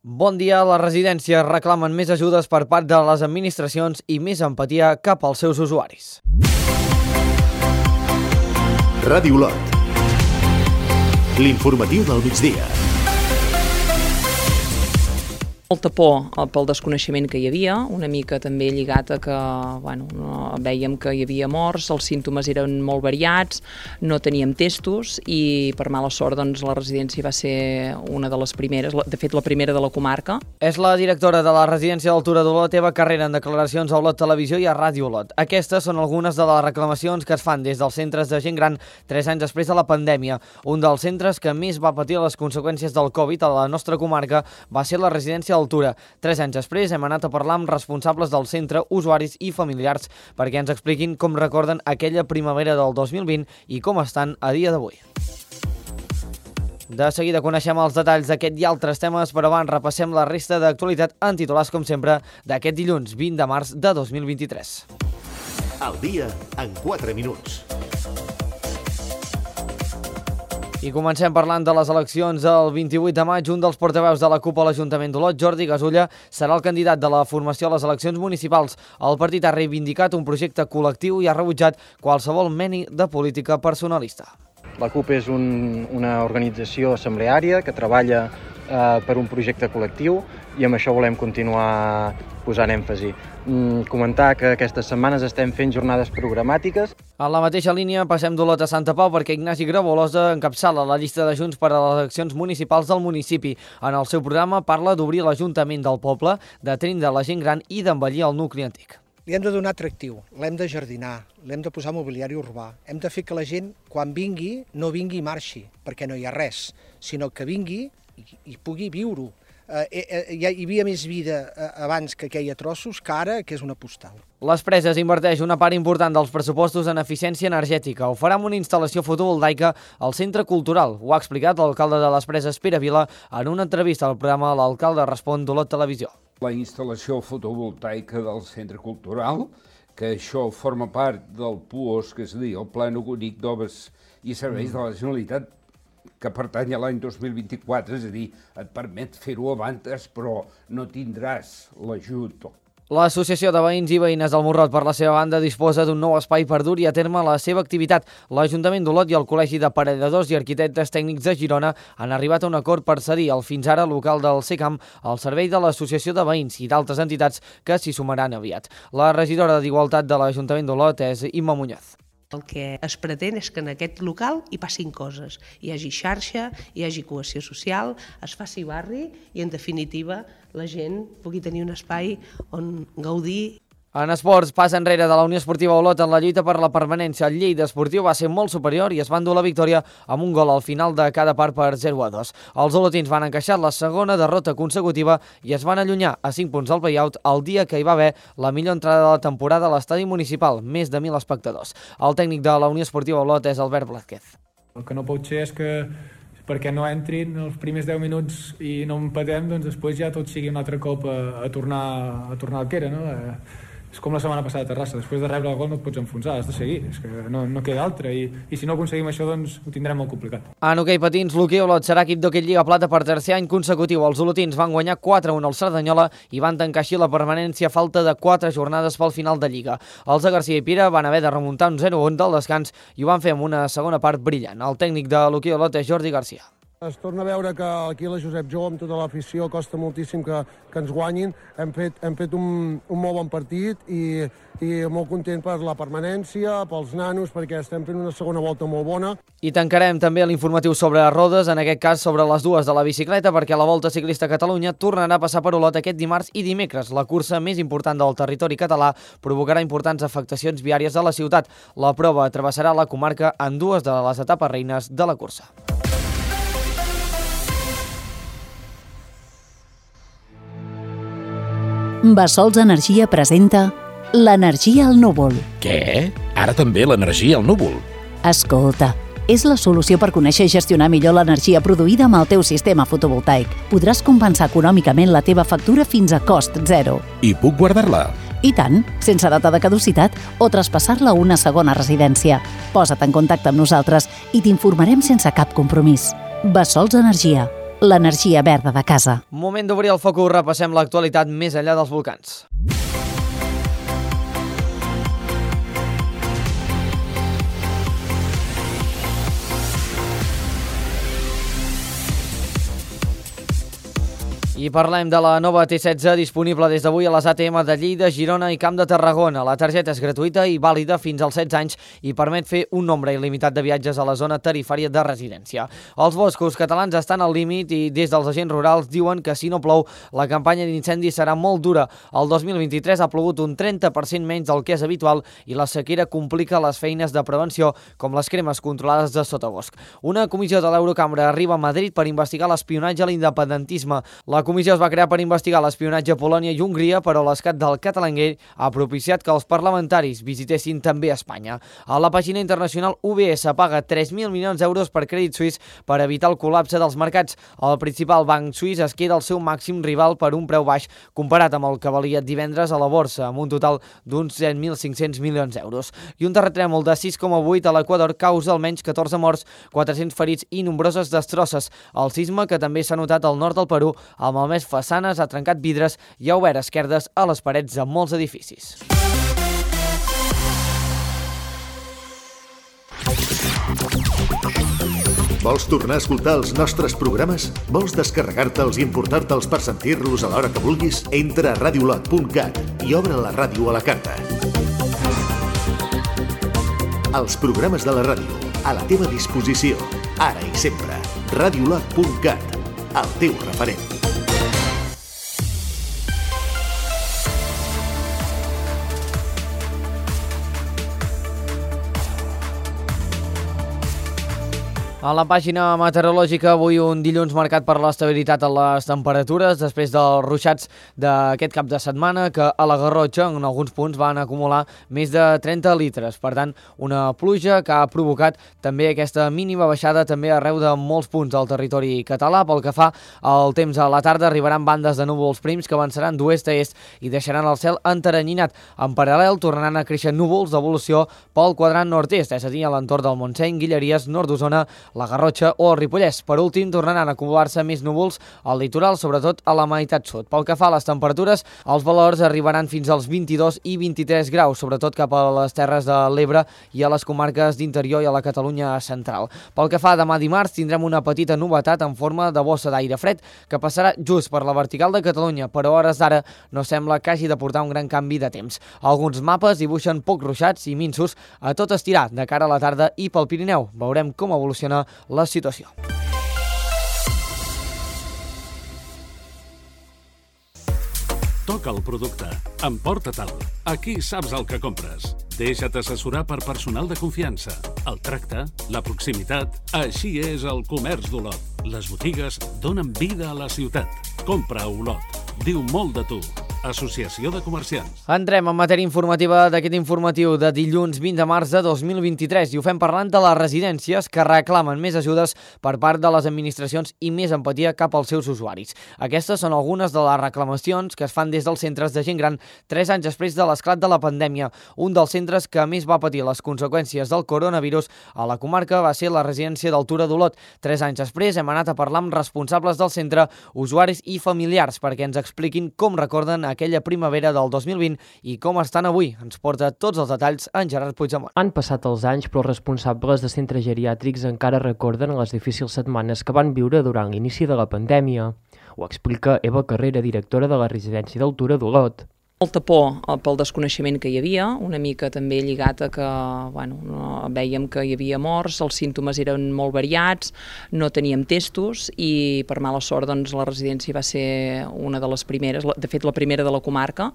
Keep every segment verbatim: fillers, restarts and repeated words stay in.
Bon dia. Les residències reclamen més ajudes per part de les administracions i més empatia cap als seus usuaris. Ràdio Olot. L'informatiu del migdia. Molta por pel desconeixement que hi havia, una mica també lligat a que bueno, no, vèiem que hi havia morts, els símptomes eren molt variats, no teníem testos i per mala sort doncs, la residència va ser una de les primeres, de fet la primera de la comarca. És la directora de la residència d'Altura d'Olot, Eva Carrera, en declaracions a Olot Televisió i a Ràdio Olot. Aquestes són algunes de les reclamacions que es fan des dels centres de gent gran tres anys després de la pandèmia. Un dels centres que més va patir les conseqüències del Covid a la nostra comarca va ser la residència Altura. Tres anys després hem anat a parlar amb responsables del centre, usuaris i familiars perquè ens expliquin com recorden aquella primavera del dos mil vint i com estan a dia d'avui. De seguida coneixem els detalls d'aquest i altres temes, però abans repassem la resta d'actualitat en titulars, com sempre, d'aquest dilluns vint de març de dos mil vint-i-tres. El dia en quatre minuts. I comencem parlant de les eleccions el vint-i-vuit de maig. Un dels portaveus de la CUP a l'Ajuntament d'Olot, Jordi Gasulla, serà el candidat de la formació a les eleccions municipals. El partit ha reivindicat un projecte col·lectiu i ha rebutjat qualsevol mena de política personalista. La CUP és un, una organització assembleària que treballa eh, per un projecte col·lectiu i amb això volem continuar posant èmfasi. Mm, comentar que aquestes setmanes estem fent jornades programàtiques. En la mateixa línia passem d'Olot a Santa Pau perquè Ignasi Grabolosa encapçala la llista de Junts per a les eleccions municipals del municipi. En el seu programa parla d'obrir l'Ajuntament del poble, d'atendre la gent gran i d'embellir el nucli antic. Li hem de donar atractiu, l'hem de jardinar, l'hem de posar mobiliari urbà. Hem de fer que la gent, quan vingui, no vingui i marxi, perquè no hi ha res, sinó que vingui i, i pugui viure-ho. Eh, eh, hi havia més vida eh, abans que aquella trossos que ara, que és una postal. Les Preses inverteix una part important dels pressupostos en eficiència energètica. Ho farà amb una instal·lació fotovoltaica al Centre Cultural. Ho ha explicat l'alcalde de les Preses, Pere Vila, en una entrevista al programa L'Alcalde Respon d'Olot Televisió. La instal·lació fotovoltaica del Centre Cultural, que això forma part del P U O S, que és a dir, el Pla Únic d'Obres i Serveis de la Generalitat, que pertany a l'any dos mil vint-i-quatre, és a dir, et permet fer-ho abans, però no tindràs l'ajut. L'Associació de Veïns i Veïnes del Morrot, per la seva banda, disposa d'un nou espai per dur-hi a terme la seva activitat. L'Ajuntament d'Olot i el Col·legi d'Aparelladors i Arquitectes Tècnics de Girona han arribat a un acord per cedir el fins ara local del SECAM al servei de l'Associació de Veïns i d'altres entitats que s'hi sumaran aviat. La regidora d'Igualtat de l'Ajuntament d'Olot és Imma Muñoz. El que es pretén és que en aquest local hi passin coses, hi hagi xarxa, hi hagi cohesió social, es faci barri i, en definitiva, la gent pugui tenir un espai on gaudir. En esports, pas enrere de la Unió Esportiva Olot en la lluita per la permanència. El Lleida Esportiu va ser molt superior i es va endur la victòria amb un gol al final de cada part per zero a dos. Els olotins van encaixar la segona derrota consecutiva i es van allunyar a cinc punts del play-out el dia que hi va haver la millor entrada de la temporada a l'estadi municipal, més de mil espectadors. El tècnic de la Unió Esportiva Olot és Albert Blázquez. El que no pot ser és que perquè no entrin els primers deu minuts i no empatem, doncs després ja tot sigui un altre cop a, a, tornar, a tornar al que era, no? Eh, és com la setmana passada a Terrassa, després de rebre el gol no et pots enfonsar, has de seguir, és que no, no queda altra, i, i si no aconseguim això, doncs ho tindrem molt complicat. En hoquei patins, l'Hoquei Olot serà equip d'hoquei Lliga Plata per tercer any consecutiu. Els olotins van guanyar quatre a un al Cerdanyola i van tancar així la permanència a falta de quatre jornades pel final de Lliga. Els de Garcia i Pira van haver de remuntar un zero a un del descans i ho van fer amb una segona part brillant. El tècnic de l'Hoquei Olot és Jordi Garcia. Es torna a veure que aquí la Josep Jou, amb tota l'afició, costa moltíssim que, que ens guanyin. Hem fet, hem fet un, un molt bon partit i, i molt content per la permanència, pels nanos, perquè estem fent una segona volta molt bona. I tancarem també l'informatiu sobre rodes, en aquest cas sobre les dues de la bicicleta, perquè la Volta Ciclista a Catalunya tornarà a passar per Olot aquest dimarts i dimecres. La cursa més important del territori català provocarà importants afectacions viàries a la ciutat. La prova travessarà la comarca en dues de les etapes reines de la cursa. Bassols Energia presenta l'energia al núvol. Què? Ara també l'energia al núvol? Escolta, és la solució per conèixer i gestionar millor l'energia produïda amb el teu sistema fotovoltaic. Podràs compensar econòmicament la teva factura fins a cost zero. I puc guardar-la? I tant, sense data de caducitat o traspassar-la a una segona residència. Posa't en contacte amb nosaltres i t'informarem sense cap compromís. Bassols Energia, l'energia verda de casa. Moment d'obrir el focus, repassem l'actualitat més enllà dels volcans. I parlem de la nova T setze disponible des d'avui a les A T M de Lleida, Girona i Camp de Tarragona. La targeta és gratuïta i vàlida fins als setze anys i permet fer un nombre il·limitat de viatges a la zona tarifària de residència. Els boscos catalans estan al límit i des dels agents rurals diuen que si no plou, la campanya d'incendis serà molt dura. El dos mil vint-i-tres ha plogut un trenta per cent menys del que és habitual i la sequera complica les feines de prevenció, com les cremes controlades de sotabosc. Una comissió de l'Eurocambra arriba a Madrid per investigar l'espionatge a l'independentisme. La comissió es va crear per investigar l'espionatge a Polònia i Hongria, però l'escat del Catalangate ha propiciat que els parlamentaris visitessin també Espanya. A la pàgina internacional, U B S paga tres mil milions d'euros per Credit Suisse per evitar el col·lapse dels mercats. El principal banc suís es queda el seu màxim rival per un preu baix comparat amb el que valia divendres a la borsa, amb un total d'uns set mil cinc-cents milions d'euros. I un terratrèmol de sis coma vuit a l'Equador causa almenys catorze morts, quatre-cents ferits i nombroses destrosses. El sisme, que també s'ha notat al nord del Perú, amb malmès façanes, ha trencat vidres i ha obert esquerdes a les parets de molts edificis. Vols tornar a escoltar els nostres programes? Vols descarregar-te'ls i importar-te'ls per sentir-los a l'hora que vulguis? Entra a radiolot punt cat i obre la ràdio a la carta. Els programes de la ràdio, a la teva disposició, ara i sempre. radiolot punt cat, el teu referent. A la pàgina meteorològica, avui un dilluns marcat per l'estabilitat en les temperatures després dels ruixats d'aquest cap de setmana que a la Garrotxa en alguns punts van acumular més de trenta litres. Per tant, una pluja que ha provocat també aquesta mínima baixada també arreu de molts punts del territori català. Pel que fa al temps a la tarda, arribaran bandes de núvols prims que avançaran d'oest a est i deixaran el cel enteranyinat. En paral·lel, tornaran a créixer núvols d'evolució pel quadrant nord-est, és a dir, a l'entorn del Montseny, Guilleries, nord d'Osona, la Garrotxa o el Ripollès. Per últim, tornaran a acumular-se més núvols al litoral, sobretot a la meitat sud. Pel que fa a les temperatures, els valors arribaran fins als vint-i-dos i vint-i-tres graus, sobretot cap a les terres de l'Ebre i a les comarques d'interior i a la Catalunya central. Pel que fa a demà dimarts, tindrem una petita novetat en forma de bossa d'aire fred que passarà just per la vertical de Catalunya, però a hores d'ara no sembla que hagi de portar un gran canvi de temps. Alguns mapes dibuixen pocs ruixats i minsos a tot estirar de cara a la tarda i pel Pirineu. Veurem com evoluciona la situació. Toca el producte. Emporta-te'l. Aquí saps el que compres. Deixa't assessorar per personal de confiança. El tracte, la proximitat... Així és el comerç d'Olot. Les botigues donen vida a la ciutat. Compra a Olot. Diu molt de tu. Associació de Comerciants. Entrem en matèria informativa d'aquest informatiu de dilluns vint de març de dos mil vint-i-tres i ho fem parlant de les residències que reclamen més ajudes per part de les administracions i més empatia cap als seus usuaris. Aquestes són algunes de les reclamacions que es fan des dels centres de gent gran tres anys després de l'esclat de la pandèmia. Un dels centres que més va patir les conseqüències del coronavirus a la comarca va ser la residència d'Altura d'Olot. Tres anys després hem anat a parlar amb responsables del centre, usuaris i familiars perquè ens expliquin com recorden aquella primavera del dos mil vint i com estan avui. Ens porta tots els detalls en Gerard Puigdemont. Han passat els anys, però els responsables de centres geriàtrics encara recorden les difícils setmanes que van viure durant l'inici de la pandèmia. Ho explica Eva Carrera, directora de la residència d'Altura d'Olot. Molta por pel desconeixement que hi havia, una mica també lligat a que bueno, no, vèiem que hi havia morts, els símptomes eren molt variats, no teníem testos i per mala sort doncs, la residència va ser una de les primeres, de fet la primera de la comarca,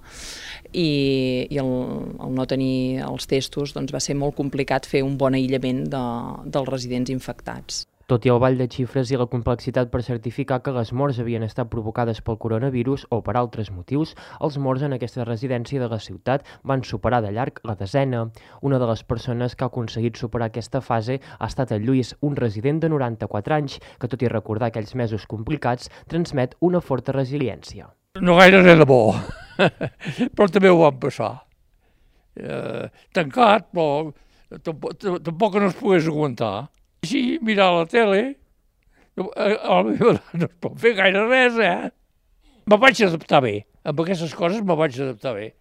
i, i el, el no tenir els testos doncs, va ser molt complicat fer un bon aïllament de, dels residents infectats. Tot i el ball de xifres i la complexitat per certificar que les morts havien estat provocades pel coronavirus o per altres motius, els morts en aquesta residència de la ciutat van superar de llarg la desena. Una de les persones que ha aconseguit superar aquesta fase ha estat el Lluís, un resident de noranta-quatre anys, que tot i recordar aquells mesos complicats, transmet una forta resiliència. No gaire res de bo, però també ho vam passar. Eh, tancat, però tampoc, tampoc no es pogués aguantar. Així, mirar la tele, no, no es pot fer gaire res, eh? Me vaig adaptar bé. Amb aquestes coses me vaig adaptar bé.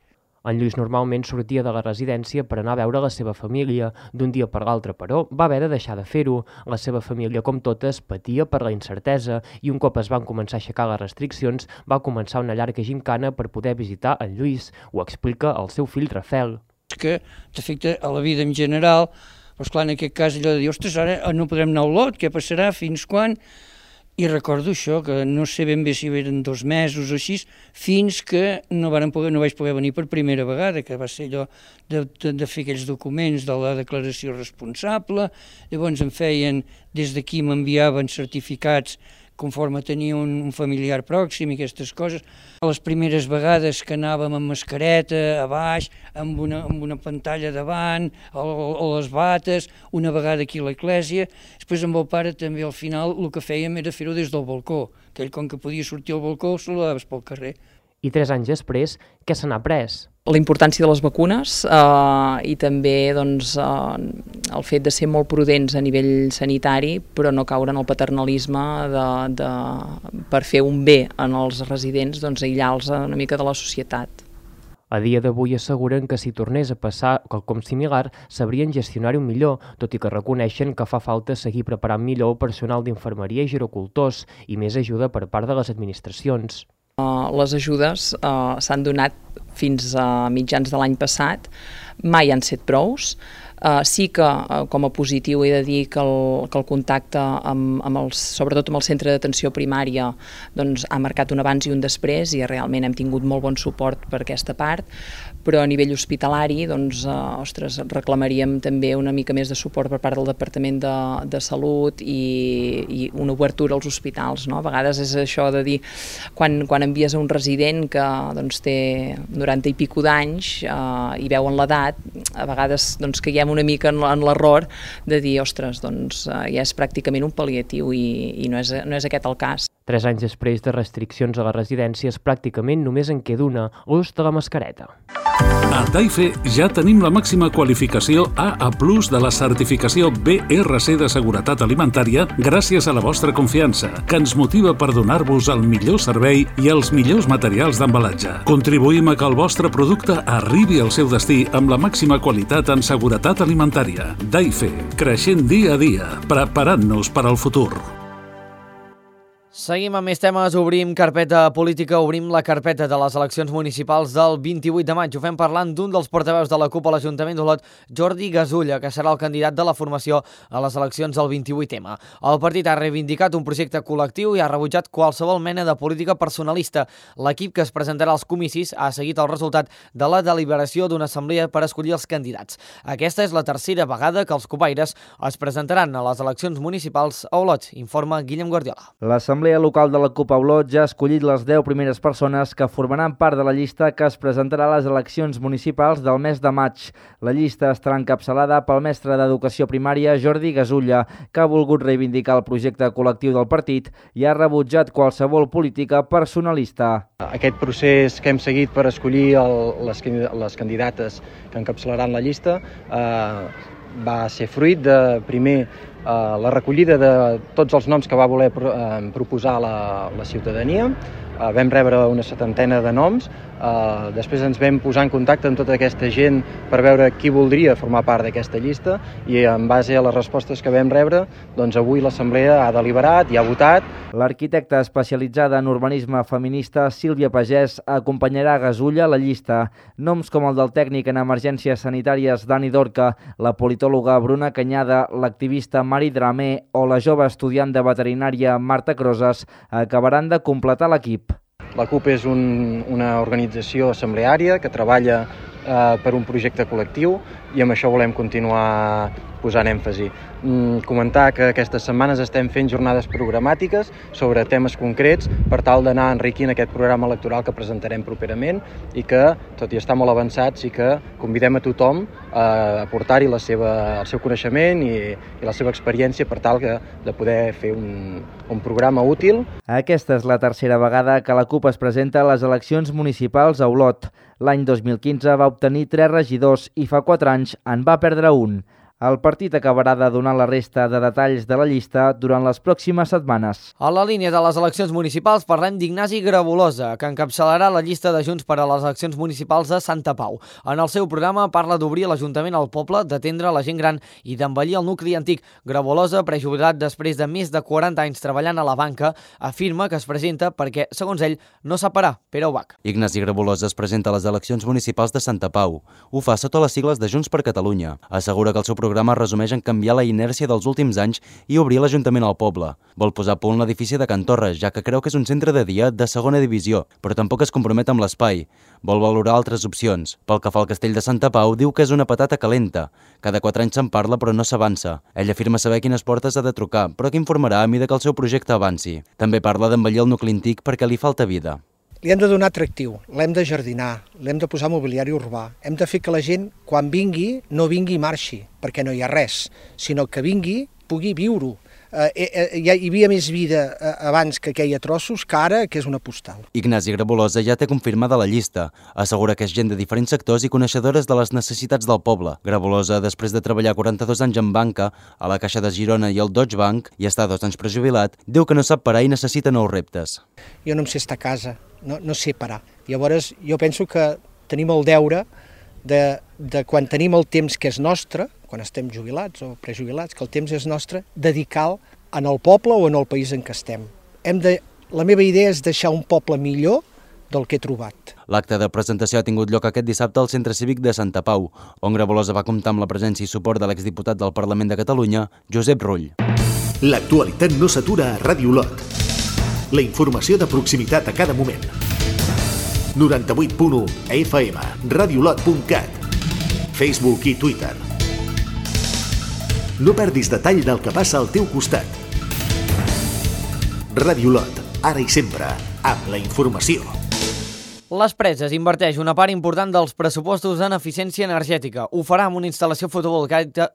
En Lluís normalment sortia de la residència per anar a veure la seva família. D'un dia per l'altre, però, va haver de deixar de fer-ho. La seva família, com totes, patia per la incertesa i un cop es van començar a aixecar les restriccions, va començar una llarga gimcana per poder visitar en Lluís. Ho explica el seu fill Rafel. Que t'afecta a la vida en general, però esclar, en aquest cas allò de dir, ostres, ara no podrem anar a Olot, què passarà, fins quan? I recordo això, que no sé ben bé si eren dos mesos o així, fins que no, varen poder, no vaig poder venir per primera vegada, que va ser allò de, de, de fer aquells documents de la declaració responsable. Llavors em feien, des d'aquí m'enviaven certificats conforme tenia un, un familiar pròxim i aquestes coses. Les primeres vegades que anàvem amb mascareta a baix, amb una, amb una pantalla davant, o, o les bates, una vegada aquí a l'església. Després amb el pare també al final el que fèiem era fer-ho des del balcó, que ell com que podia sortir al balcó saludaves pel carrer. I tres anys després, què se n'ha pres? La importància de les vacunes eh, i també doncs, eh, el fet de ser molt prudents a nivell sanitari, però no caure en el paternalisme de, de, per fer un bé en els residents, doncs, aïllar-los una mica de la societat. A dia d'avui asseguren que si tornés a passar quelcom similar, sabrien gestionar-ho millor, tot i que reconeixen que fa falta seguir preparant millor el personal d'infermeria i gerocultors i més ajuda per part de les administracions. Uh, les ajudes uh, s'han donat fins a mitjans de l'any passat, mai han set prous. Uh, sí que, uh, com a positiu, he de dir que el, que el contacte, amb, amb els, sobretot amb el centre d'atenció primària, doncs, ha marcat un abans i un després i realment hem tingut molt bon suport per aquesta part, però a nivell hospitalari doncs, uh, ostres, reclamaríem també una mica més de suport per part del Departament de, de Salut i, i una obertura als hospitals. No? A vegades és això de dir, quan, quan envies a un resident que doncs, té noranta i pico d'anys uh, i veuen l'edat, a vegades doncs, caiem una mica en, en l'error de dir, ostres, doncs uh, ja és pràcticament un pal·liatiu i, i no, és, no és aquest el cas. Tres anys després de restriccions a les residències, pràcticament només en queda una, l'ús de la mascareta. A Daife ja tenim la màxima qualificació A A plus de la certificació B R C de seguretat alimentària gràcies a la vostra confiança, que ens motiva per donar-vos el millor servei i els millors materials d'embalatge. Contribuïm a que el vostre producte arribi al seu destí amb la màxima qualitat en seguretat alimentària. Daife, creixent dia a dia, preparant-nos per al futur. Seguim amb més temes, obrim carpeta política, obrim la carpeta de les eleccions municipals del vint-i-vuit de maig. Ho fem parlant d'un dels portaveus de la CUP a l'Ajuntament d'Olot, Jordi Gasulla, que serà el candidat de la formació a les eleccions del vint-i-vuit ema. El partit ha reivindicat un projecte col·lectiu i ha rebutjat qualsevol mena de política personalista. L'equip que es presentarà als comicis ha seguit el resultat de la deliberació d'una assemblea per escollir els candidats. Aquesta és la tercera vegada que els copaires es presentaran a les eleccions municipals a Olot, informa Guillem Guardiola. L'assemblea local de la CUP a Olot ja ha escollit les deu primeres persones que formaran part de la llista que es presentarà a les eleccions municipals del mes de maig. La llista estarà encapçalada pel mestre d'Educació Primària Jordi Gasulla, que ha volgut reivindicar el projecte col·lectiu del partit i ha rebutjat qualsevol política personalista. Aquest procés que hem seguit per escollir el, les, les candidates que encapçalaran la llista eh, va ser fruit de, primer, Uh, la recollida de tots els noms que va voler pro, uh, proposar la, la ciutadania. Uh, vam rebre una setantena de noms, uh, després ens vam posar en contacte amb tota aquesta gent per veure qui voldria formar part d'aquesta llista i en base a les respostes que vam rebre, doncs avui l'Assemblea ha deliberat i ha votat. L'arquitecta especialitzada en urbanisme feminista Sílvia Pagès acompanyarà Gasulla a la llista. Noms com el del tècnic en emergències sanitàries Dani Dorca, la politòloga Bruna Canyada, l'activista Mari Dramé o la jove estudiant de veterinària Marta Crosas acabaran de completar l'equip. La CUP és un, una organització assembleària que treballa eh, per un projecte col·lectiu i amb això volem continuar posant èmfasi. Mm, comentar que aquestes setmanes estem fent jornades programàtiques sobre temes concrets per tal d'anar enriquint aquest programa electoral que presentarem properament i que, tot i estar molt avançat, sí que convidem a tothom a aportar-hi la seva, el seu coneixement i, i la seva experiència per tal que, de poder fer un, un programa útil. Aquesta és la tercera vegada que la CUP es presenta a les eleccions municipals a Olot. L'any dos mil quinze va obtenir tres regidors i fa quatre anys en va perdre un. El partit acabarà de donar la resta de detalls de la llista durant les pròximes setmanes. A la línia de les eleccions municipals parlem d'Ignasi Grabolosa, que encapçalarà la llista de Junts per a les eleccions municipals de Santa Pau. En el seu programa parla d'obrir l'Ajuntament al poble, d'atendre la gent gran i d'embellir el nucli antic. Grabolosa, prejubilat després de més de quaranta anys treballant a la banca, afirma que es presenta perquè, segons ell, no sap parar. Pere Ubach. Ignasi Grabolosa es presenta a les eleccions municipals de Santa Pau. Ho fa sota les sigles de Junts per Catalunya. Assegura que el seu programa El programa resumeix en canviar la inèrcia dels últims anys i obrir l'Ajuntament al poble. Vol posar a punt l'edifici de Can Torres, ja que creu que és un centre de dia de segona divisió, però tampoc es compromet amb l'espai. Vol valorar altres opcions. Pel que fa al castell de Santa Pau, diu que és una patata calenta. Cada quatre anys se'n parla, però no s'avança. Ell afirma saber quines portes ha de trucar, però que informarà a mida que el seu projecte avanci. També parla d'embellir el nucli antic perquè li falta vida. Li hem de donar atractiu, l'hem de jardinar, l'hem de posar mobiliari urbà. Hem de fer que la gent, quan vingui, no vingui i marxi, perquè no hi ha res, sinó que vingui, pugui viure-ho. Eh, eh, hi havia més vida eh, abans que aquella trossos que ara, que és una postal. Ignasi Grabolosa ja té confirmada la llista. Assegura que és gent de diferents sectors i coneixedores de les necessitats del poble. Grabolosa, després de treballar quaranta-dos anys en banca, a la Caixa de Girona i al Deutsche Bank, i estar dos anys prejubilat, diu que no sap parar i necessita nous reptes. Jo no em sé estar a casa, no, no sé parar. Llavors, jo penso que tenim el deure de, de quan tenim el temps que és nostre, quan estem jubilats o prejubilats, que el temps és nostre, dedicar-lo en el poble o en el país en què estem. Hem de, la meva idea és deixar un poble millor del que he trobat. L'acte de presentació ha tingut lloc aquest dissabte al Centre Cívic de Santa Pau, on Grabolosa va comptar amb la presència i suport de l'exdiputat del Parlament de Catalunya, Josep Rull. L'actualitat no s'atura a Ràdio Olot. La informació de proximitat a cada moment. noranta-vuit punt u F M, radiolot punt cat, Facebook i Twitter. No perdis detall del que passa al teu costat. Ràdio Olot, ara i sempre, amb la informació. Les Preses inverteix una part important dels pressupostos en eficiència energètica. Ho farà amb una instal·lació fotovoltaica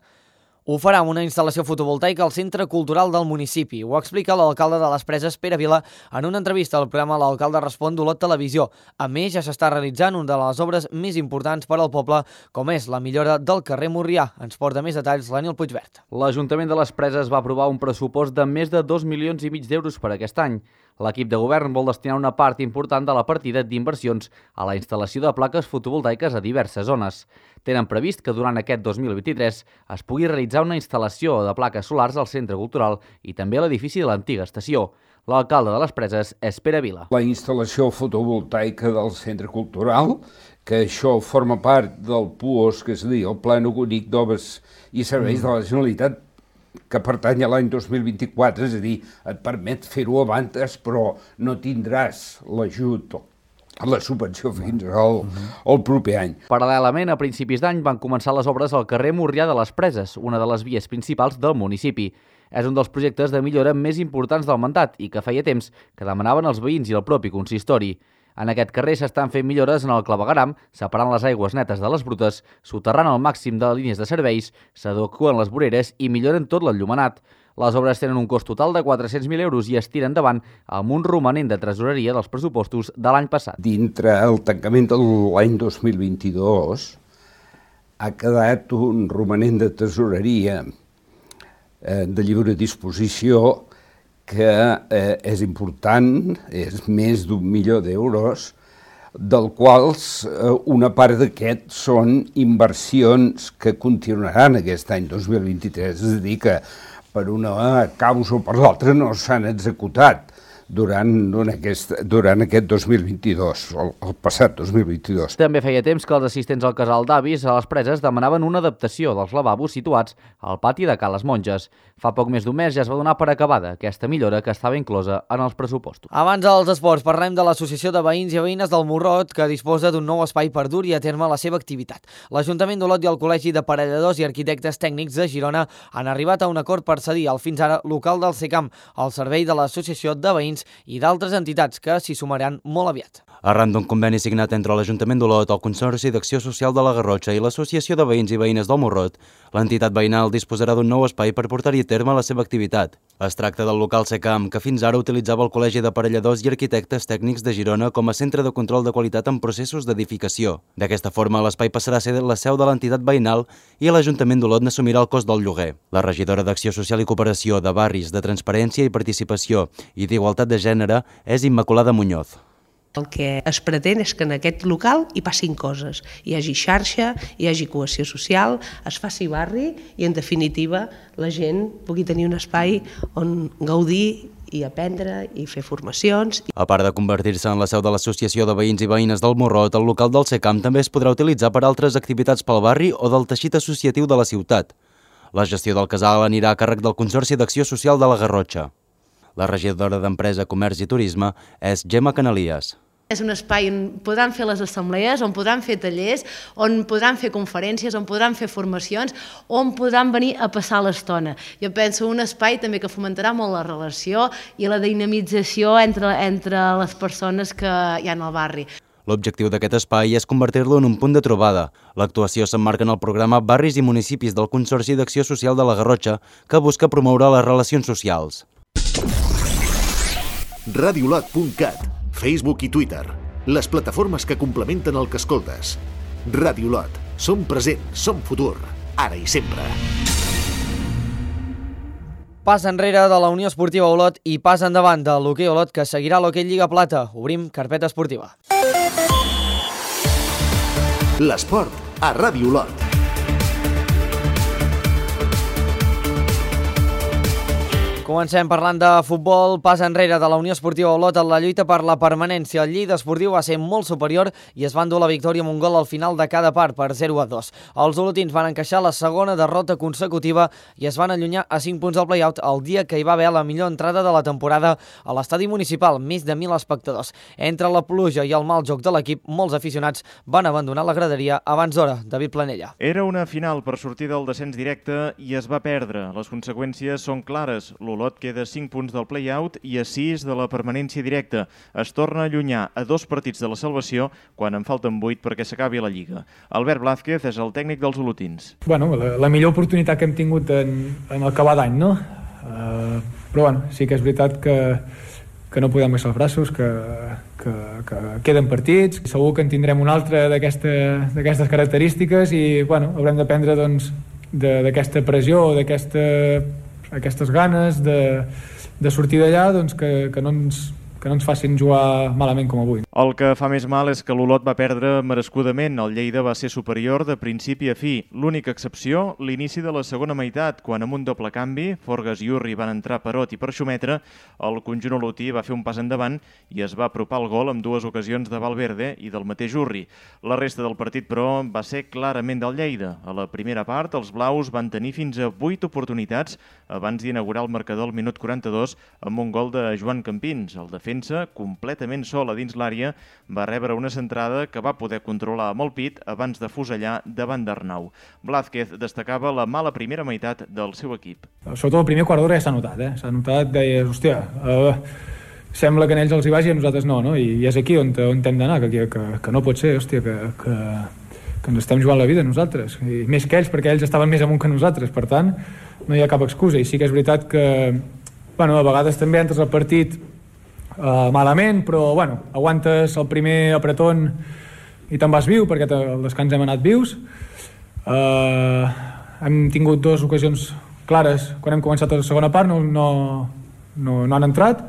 Ho farà amb una instal·lació fotovoltaica al Centre Cultural del municipi. Ho explica l'alcalde de les Preses, Pere Vila, en una entrevista al programa L'Alcalde Respon d'Olot Televisió. A més, ja s'està realitzant una de les obres més importants per al poble, com és la millora del carrer Morrià. Ens porta més detalls l'Ànil Puigvert. L'Ajuntament de les Preses va aprovar un pressupost de més de dos milions i mig d'euros per aquest any. L'equip de govern vol destinar una part important de la partida d'inversions a la instal·lació de plaques fotovoltaiques a diverses zones. Tenen previst que durant aquest dos mil vint-i-tres es pugui realitzar una instal·lació de plaques solars al Centre Cultural i també a l'edifici de l'antiga estació. L'alcalde de les Preses és Pere Vila. La instal·lació fotovoltaica del Centre Cultural, que això forma part del P U O S, que és a dir, el Pla Únic d'Obres i Serveis de la Generalitat, que pertany a l'any dos mil vint-i-quatre, és a dir, et permet fer-ho abans, però no tindràs l'ajut a la subvenció fins al, al proper any. Paral·lelament, a principis d'any van començar les obres al carrer Morrià de les Preses, una de les vies principals del municipi. És un dels projectes de millora més importants del mandat i que feia temps que demanaven els veïns i el propi consistori. En aquest carrer s'estan fent millores en el clavegueram, separant les aigües netes de les brutes, soterrant el màxim de línies de serveis, s'adeqüen les voreres i milloren tot l'enllumenat. Les obres tenen un cost total de quatre-cents mil euros i es tiren endavant amb un romanent de tresoreria dels pressupostos de l'any passat. Dintre el tancament de l'any dos mil vint-i-dos ha quedat un romanent de tresoreria eh, de lliure disposició que eh, és important, és més d'un milió d'euros, del quals eh, una part d'aquest són inversions que continuaran aquest any dos mil vint-i-tres, és a dir, que per una causa o per l'altra no s'han executat durant, durant, aquest, durant aquest dos mil vint-i-dos, el, el passat dos mil vint-i-dos. També feia temps que els assistents al casal d'avis a les Preses demanaven una adaptació dels lavabos situats al pati de Ca les Monges. Fa poc més d'un mes ja es va donar per acabada aquesta millora que estava inclosa en els pressupostos. Abans dels esports, parlem de l'Associació de Veïns i Veïnes del Morrot, que disposa d'un nou espai per dur-hi a terme la seva activitat. L'Ajuntament d'Olot i el Col·legi d'Aparelladors i Arquitectes Tècnics de Girona han arribat a un acord per cedir el fins ara local del SECAM al servei de l'Associació de Veïns i d'altres entitats que s'hi sumaran molt aviat. Arran d'un conveni signat entre l'Ajuntament d'Olot, el Consorci d'Acció Social de la Garrotxa i l'Associació de Veïns i Veïnes del Morrot, l'entitat veïnal disposarà d'un nou espai per portar-hi a terme la seva activitat. Es tracta del local SECAM, que fins ara utilitzava el Col·legi d'Aparelladors i Arquitectes Tècnics de Girona com a centre de control de qualitat en processos d'edificació. D'aquesta forma, l'espai passarà a ser la seu de l'entitat veïnal i l'Ajuntament d'Olot n'assumirà el cost del lloguer. La regidora d'Acció Social i Cooperació, de Barris, de Transparència i Participació i d'Igualtat de Gènere és Immaculada Muñoz. El que es pretén és que en aquest local hi passin coses, hi hagi xarxa, hi hagi cohesió social, es faci barri i, en definitiva, la gent pugui tenir un espai on gaudir i aprendre i fer formacions. A part de convertir-se en la seu de l'Associació de Veïns i Veïnes del Morrot, el local del SECAM també es podrà utilitzar per altres activitats pel barri o del teixit associatiu de la ciutat. La gestió del casal anirà a càrrec del Consorci d'Acció Social de la Garrotxa. La regidora d'Empresa, Comerç i Turisme és Gemma Canalies. És un espai on podran fer les assemblees, on podran fer tallers, on podran fer conferències, on podran fer formacions, on podran venir a passar l'estona. Jo penso un espai també que fomentarà molt la relació i la dinamització entre, entre les persones que hi ha al barri. L'objectiu d'aquest espai és convertir-lo en un punt de trobada. L'actuació s'emmarca en el programa Barris i Municipis del Consorci d'Acció Social de la Garrotxa, que busca promoure les relacions socials. radiolot punt cat, Facebook i Twitter, les plataformes que complementen el que escoltes. Radiolot, som present, som futur, ara i sempre. Pas enrere de la Unió Esportiva Olot i pas endavant de l'Hoquei Olot, que seguirà l'Hoquei Lliga Plata. Obrim carpeta esportiva. L'esport a Ràdio Olot. Comencem parlant de futbol, pas enrere de la Unió Esportiva Olot en la lluita per la permanència. El Lleida Esportiu va ser molt superior i es va endur la victòria amb un gol al final de cada part per zero a dos. Els olotins van encaixar la segona derrota consecutiva i es van allunyar a cinc punts del play-out el dia que hi va haver la millor entrada de la temporada a l'estadi municipal, més de mil espectadors. Entre la pluja i el mal joc de l'equip, molts aficionats van abandonar la graderia abans d'hora. David Planella. Era una final per sortir del descens directe i es va perdre. Les conseqüències són clares. L'Olot queda a cinc punts del play-out i a sis de la permanència directa. Es torna a allunyar a dos partits de la salvació quan en falten vuit perquè s'acabi la Lliga. Albert Blázquez és el tècnic dels olotins. Bueno, la, la millor oportunitat que hem tingut en, en acabar d'any, no? Uh, però bueno, sí que és veritat que, que no podem baixar els braços, que, que, que queden partits. Segur que en tindrem un altre d'aquestes aquesta, característiques i bueno, haurem d'aprendre doncs, d'aquesta pressió, d'aquesta aquestes ganes de, de sortir d'allà doncs, que, que, no ens, que no ens facin jugar malament com avui. El que fa més mal és que l'Olot va perdre merescudament. El Lleida va ser superior de principi a fi. L'única excepció, l'inici de la segona meitat, quan amb un doble canvi, Forgas i Urri van entrar per Ot i per Xumetre, el conjunt olotí va fer un pas endavant i es va apropar el gol amb dues ocasions de Valverde i del mateix Urri. La resta del partit, però, va ser clarament del Lleida. A la primera part, els blaus van tenir fins a vuit oportunitats abans d'inaugurar el marcador al minut quaranta-dos amb un gol de Joan Campins. El defensa, completament sol a dins l'àrea, va rebre una centrada que va poder controlar amb el pit abans de fusellar davant d'Arnau. Blázquez destacava la mala primera meitat del seu equip. Sobretot el primer quart d'hora ja s'ha notat, eh? S'ha notat, deies, hòstia, uh, sembla que en ells els hi vagi i a nosaltres no, no? I, i és aquí on, on hem d'anar, que, que, que no pot ser, hòstia, que, que, que ens estem jugant la vida nosaltres, i més que ells, perquè ells estaven més amunt que nosaltres, per tant, no hi ha cap excusa. I sí que és veritat que, bueno, a vegades també entres al partit Uh, malament, però bueno, aguantes el primer apretón i te'n vas viu, perquè al descans hem anat vius. Uh, hem tingut dues ocasions clares quan hem començat la segona part, no, no, no, no han entrat,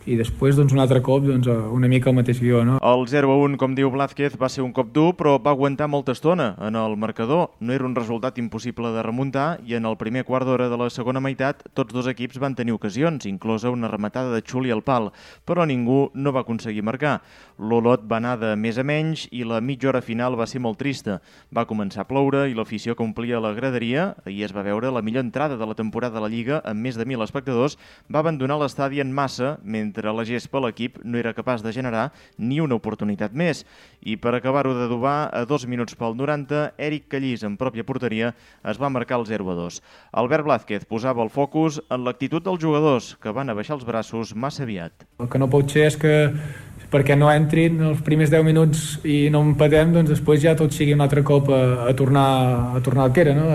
i després doncs, un altre cop doncs, una mica el mateix guió. No? El zero a un, com diu Blázquez, va ser un cop dur, però va aguantar molta estona en el marcador. No era un resultat impossible de remuntar i en el primer quart d'hora de la segona meitat tots dos equips van tenir ocasions, inclosa una rematada de Xuli al pal, però ningú no va aconseguir marcar. L'Olot va anar de més a menys i la mitja hora final va ser molt trista. Va començar a ploure i l'afició que omplia la graderia, ahir es va veure la millor entrada de la temporada de la Lliga amb més de mil espectadors, va abandonar l'estadi en massa, mentre la gespa l'equip no era capaç de generar ni una oportunitat més. I per acabar-ho d'adobar, a dos minuts pel noranta, Eric Callís, en pròpia porteria, es va marcar el zero a dos. Albert Blázquez posava el focus en l'actitud dels jugadors, que van abaixar els braços massa aviat. El que no pot ser és que perquè no entrin els primers deu minuts i no empatem, doncs després ja tot sigui un altre cop a, a, tornar, a tornar al que era, no?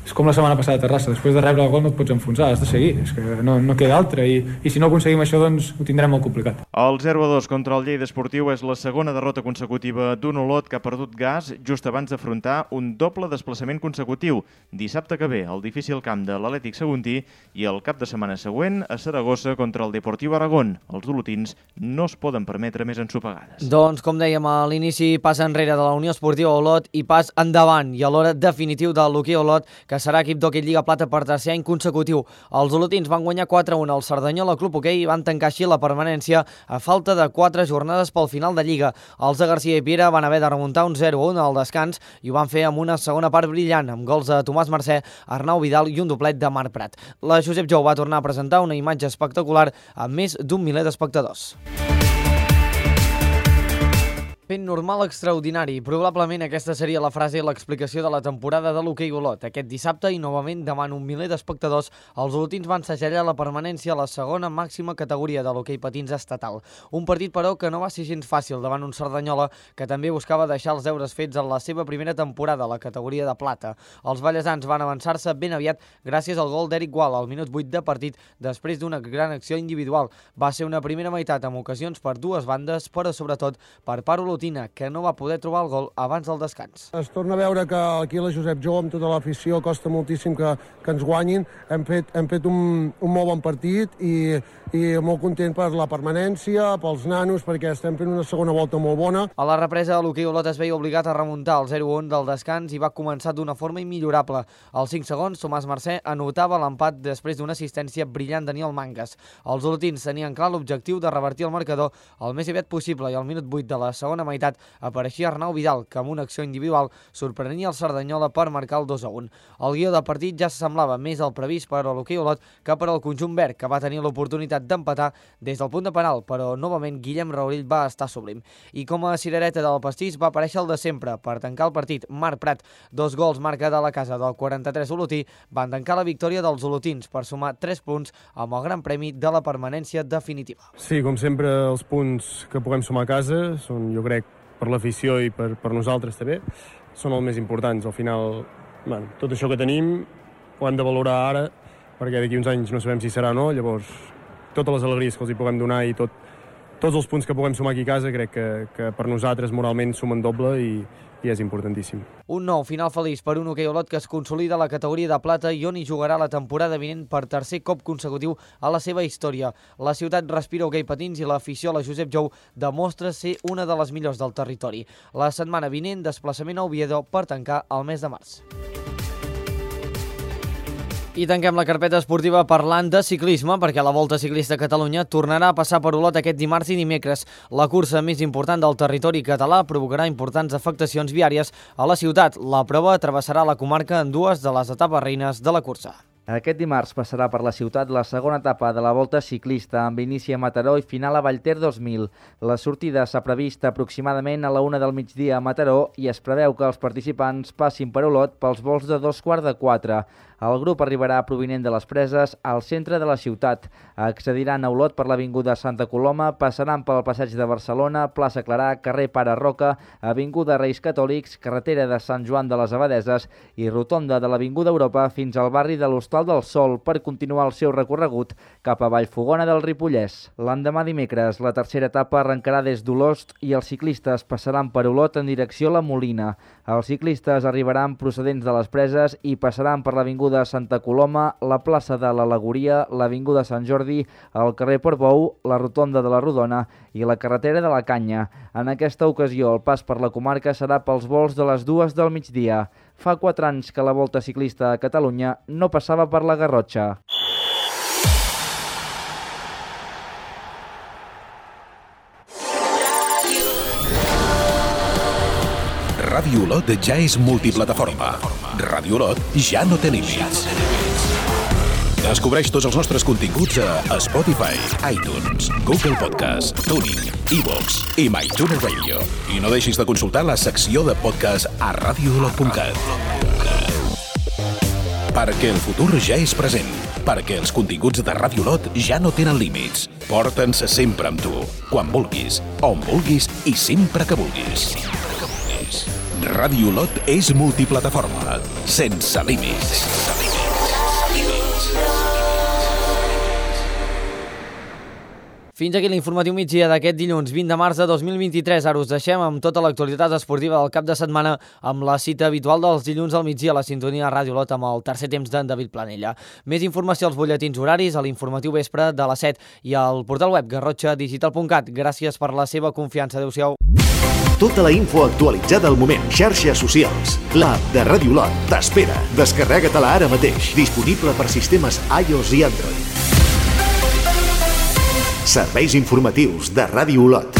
és com la setmana passada a Terrassa, després de rebre el gol no et pots enfonsar, has de seguir, és que no, no queda altra, i, i si no aconseguim això doncs ho tindrem molt complicat. El zero a dos contra el Lleida Esportiu és la segona derrota consecutiva d'un Olot que ha perdut gas just abans d'afrontar un doble desplaçament consecutiu. Dissabte que ve, el difícil camp de l'Atlètic Saguntí i el cap de setmana següent a Saragossa contra el Deportiu Aragón. Els olotins no es poden permetre més ensopegades. Doncs, com dèiem a l'inici, pas enrere de la Unió Esportiva Olot i pas endavant i a l'hora definitiu del l'hoquei Olot, que serà equip d'hoquei Lliga Plata per tercer any consecutiu. Els olotins van guanyar quatre a un al Cerdanyola Club Hoquei i van tancar així la permanència a falta de quatre jornades pel final de Lliga. Els de Garcia i Piera van haver de remuntar un zero a un al descans i ho van fer amb una segona part brillant, amb gols de Tomàs Mercè, Arnau Vidal i un doblet de Marc Prat. La Josep Jou va tornar a presentar una imatge espectacular amb més d'un miler d'espectadors. Fent normal extraordinari. Probablement aquesta seria la frase i l'explicació de la temporada de l'hoquei Olot. Aquest dissabte i novament davant un miler d'espectadors, els olotins van segellar la permanència a la segona màxima categoria de l'hoquei patins estatal. Un partit, però, que no va ser gens fàcil davant un Cerdanyola que també buscava deixar els deures fets en la seva primera temporada a la categoria de plata. Els ballesans van avançar-se ben aviat gràcies al gol d'Eric Gual al minut vuit de partit després d'una gran acció individual. Va ser una primera meitat amb ocasions per dues bandes, però sobretot per part olotina, que no va poder trobar el gol abans del descans. Es torna a veure que aquí la Josep Jou, amb tota l'afició, costa moltíssim que, que ens guanyin. Hem fet, hem fet un, un molt bon partit i, i molt content per la permanència, pels nanos, perquè estem fent una segona volta molt bona. A la represa, l'hoquei Olot es veia obligat a remuntar el zero a un del descans i va començar d'una forma immillorable. Als cinc segons, Tomàs Mercè anotava l'empat després d'una assistència brillant de Daniel Mangas. Els olotins tenien clar l'objectiu de revertir el marcador el més aviat possible i al minut vuit de la segona meitat apareixia Arnau Vidal, que amb una acció individual sorprenia el Cerdanyola per marcar el dos a un. El guió del partit ja s'assemblava més al previst per a l'hoquei Olot que per al conjunt verd, que va tenir l'oportunitat d'empatar des del punt de penal, però novament Guillem Raurill va estar sublim. I com a cirereta del pastís va aparèixer el de sempre. Per tancar el partit, Marc Prat, dos gols marca de la casa del quaranta-tres olotí, van tancar la victòria dels olotins per sumar tres punts amb el gran premi de la permanència definitiva. Sí, com sempre, els punts que puguem sumar a casa són, jo crec, per l'afició i per, per nosaltres també, són els més importants. Al final, bueno, tot això que tenim ho hem de valorar ara, perquè d'aquí uns anys no sabem si serà o no, llavors totes les alegries que els hi puguem donar i tot, tots els punts que puguem sumar aquí a casa crec que, que per nosaltres moralment sumen doble i, i és importantíssim. Un nou final feliç per un hoquei Olot que es consolida a la categoria de plata i on hi jugarà la temporada vinent per tercer cop consecutiu a la seva història. La ciutat respira hoquei patins i l'afició a la Josep Jou demostra ser una de les millors del territori. La setmana vinent, desplaçament a Oviedo per tancar el mes de març. I tanquem la carpeta esportiva parlant de ciclisme, perquè la Volta Ciclista a Catalunya tornarà a passar per Olot aquest dimarts i dimecres. La cursa més important del territori català provocarà importants afectacions viàries a la ciutat. La prova travessarà la comarca en dues de les etapes reines de la cursa. Aquest dimarts passarà per la ciutat la segona etapa de la Volta Ciclista, amb inici a Mataró i final a Vallter dos mil. La sortida s'ha previst aproximadament a la una del migdia a Mataró i es preveu que els participants passin per Olot pels vols de dos quarts de quatre. El grup arribarà provinent de les Preses al centre de la ciutat. Accediran a Olot per l'Avinguda Santa Coloma, passaran pel Passeig de Barcelona, plaça Clarà, carrer Pare Roca, Avinguda Reis Catòlics, carretera de Sant Joan de les Abadeses i rotonda de l'Avinguda Europa fins al barri de l'Hostal del Sol per continuar el seu recorregut cap a Vallfogona del Ripollès. L'endemà dimecres, la tercera etapa arrencarà des d'Olost i els ciclistes passaran per Olot en direcció a la Molina. Els ciclistes arribaran procedents de les Preses i passaran per l'Avinguda Santa Coloma, la plaça de l'Al·legoria, l'Avinguda Sant Jordi, el carrer Portbou, la rotonda de la Rodona i la carretera de la Canya. En aquesta ocasió, el pas per la comarca serà pels vols de les dues del migdia. Fa quatre anys que la Volta Ciclista a Catalunya no passava per la Garrotxa. Ràdio Olot ja és multiplataforma. Ràdio Olot ja no té límits. Descobreix tots els nostres continguts a Spotify, iTunes, Google Podcast, Tuning, iVoox i MyTuner Radio. I no deixis de consultar la secció de podcast a radio olot punt cat. Perquè el futur ja és present. Perquè els continguts de Ràdio Olot ja no tenen límits. Porta'ns sempre amb tu, quan vulguis, on vulguis i sempre que vulguis. Ràdio Olot és multiplataforma, sense límits. Fins aquí l'informatiu migdia d'aquest dilluns vint de març de dos mil vint-i-tres. Ara us deixem amb tota l'actualitat esportiva del cap de setmana amb la cita habitual dels dilluns al migdia a la sintonia de Ràdio Olot amb el tercer temps d'en David Planella. Més informació als butlletins horaris, a l'informatiu vespre de les set i al portal web garrotxa digital punt cat. Gràcies per la seva confiança. Adéu-siau. Tota la info actualitzada al moment. Xarxes socials. L'app de Ràdio Olot t'espera. Descarrega-te-la ara mateix. Disponible per sistemes iOS i Android. Serveis informatius de Ràdio Olot.